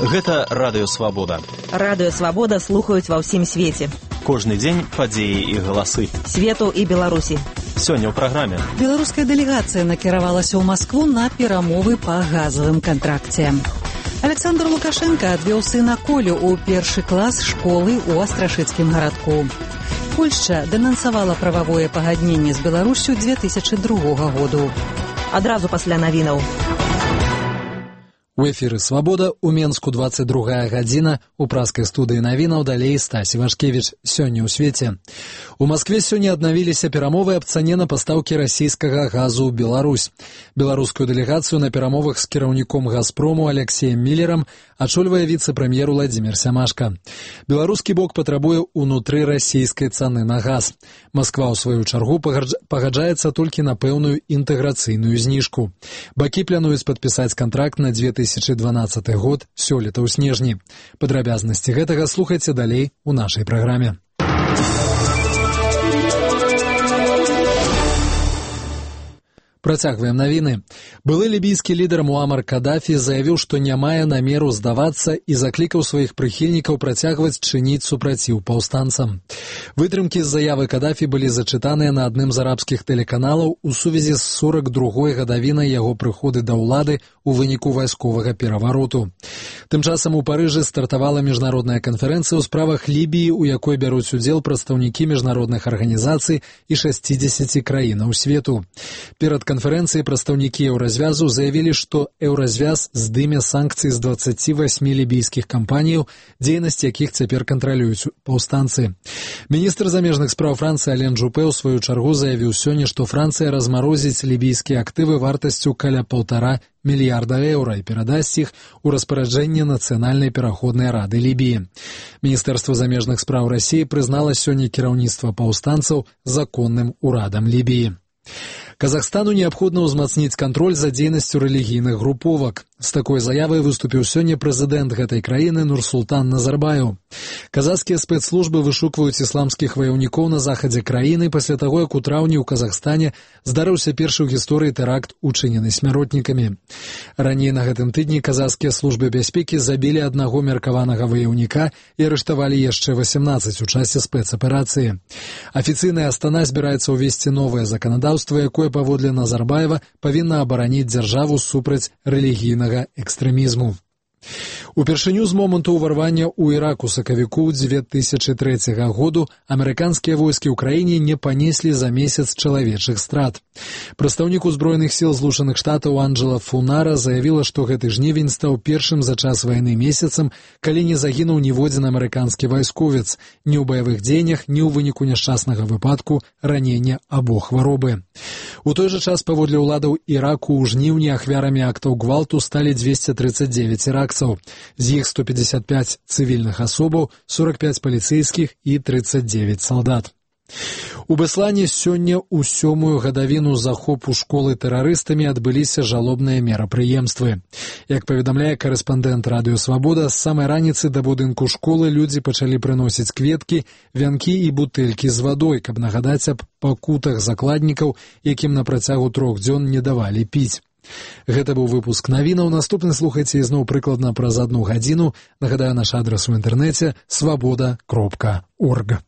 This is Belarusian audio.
Гэта Радыё Свабода. Радыё Свабода слухаюць ва ўсім свеце. Кожны дзень падзеі і галасы. Свету і Беларусі. Сёння ў праграме. Беларуская дэлегацыя накіравалася ў Маскву на перамовы па газавым кантракце. Александр Лукашенко адвёў сына Колю ў першы клас школы ў Астрашыцкім гарадку. Польшча дэнансавала прававое пагадненне з Беларуссю 2002 году. Адразу пасля навінаў. У эфіры «Свабода», у Менску 22 гадзіна, у праскай студыі навінаў далей Стасі Вашкевіч. Сёння ў свеце. У Маскве сёння аднавіліся перамовы аб цане на пастаўкі расійскага газу ў Беларусь. Беларускую дэлегацыю на перамовах з кіраўніком «Газпрому» Алексеем Міллерам ачольвае віцэ-прэм'ер Уладзімір Сямашка. Беларускі бок патрабуе ўнутры расійскай цаны на газ. Масква, ў сваю чаргу, пагаджаецца толькі на пэўную інтэграцыйную зніжку. Бакі плануюць падпісаць кантракт на 2012 год сёлета ў снежні. Падрабязнасці гэтага слухайце далей у нашай праграме. Працягваем навіны. Былы лібійскі лідар Муамар Кадафі заявіў, што не мае намеру здавацца і заклікаў сваіх прыхільнікаў працягваць чыніць супраціў паўстанцам. Вытрымкі з заявы Кадафі былі зачытаныя на адным з арабскіх тэлеканалаў у сувязі з 42-й гадавінай яго прыходу да ўлады у выніку вайсковага перавароту. Тым часам у Парыжы стартавала міжнародная канферэнцыя ў справах Лібіі, у якой бяруць удзел прадстаўнікі міжнародных арганізацый і 60 краінаў свету. Перад канферэнцыі прадстаўнікі еўразвязу заявілі, што еўразвяз здыме санкцыі з 28 лібійскіх кампаніяў, дзейнасць якіх цяпер кантралююць паўстанцы. Міністр замежных спраў Францыі Ален Жупе ў сваю чаргу заявіў сёння, што Францыя размарозіць лібійскія актывы вартасцю каля 1,5 мільярда еўра і перадасць іх у распараджэнне Нацыянальнай пераходнай рады Лібіі. Міністэрства замежных спраў Расіі прызнала сёння кіраўніцтва паўстанцаў законным урадам Лібіі. Казахстану неабходна ўзмацніць кантроль за дзейнасцю рэлігійных груповак. З такой заявай выступіў сёння прэзідэнт гэтай краіны Нурсултан Назарбаев. Казахскія спецслужбы вышукваюць ісламскіх ваяўнікоў на захадзе краіны пасля таго, як у траўні ў Казахстане здарыўся першы ў гісторыі тэракт, учынены смяротнікамі. Раней на гэтым тыдні казахскія службы бяспекі забілі аднаго меркаванага ваяўніка і арыштавалі яшчэ 18 у часе спецаперацыі. Афіцыйная Астана збіраецца ўвесці новае заканадаўства, якое паводле Назарбаева павінна абараніць дзяржаву супраць рэлігійнага экстрэмізму. Упершыню з моманту ўварвання ў Іраку сакавіку 2003 году амерыканскія войскі ў краіне не панеслі за месяц чалавечых страт. Прадстаўнік узброеных сіл Злучаных Штатаў Анджела Фунара заявіла, што гэты жнівень стаў першым за час вайны месяцам, калі не загінуў ніводзін амерыканскі вайсковец ні ў баявых дзеяннях, ні ў выніку няшчаснага выпадку, ранення або хваробы. У той жа час паводле ўладаў Іраку ў жніўні ахвярамі актаў гвалту сталі 239 іракцаў. З іх 155 цывільных асобаў, 45 паліцэйскіх і 39 салдат. У Беслане сёння ў 7-ю гадавіну захопу школы тэрарыстамі адбыліся жалобныя мерапрыемствы. Як паведамляе карэспандэнт Радыё Свабода, з самай раніцы да будынку школы людзі пачалі прыносіць кветкі, вянкі і бутэлькі з вадой, каб нагадаць аб пакутах закладнікаў, якім на працягу 3 дзён не давалі піць. Гэта быў выпуск навінаў. Наступны слухайце ізноў прыкладна праз 1 гадзіну. Нагадаю, наш адрас у інтэрнэце свабода.орг.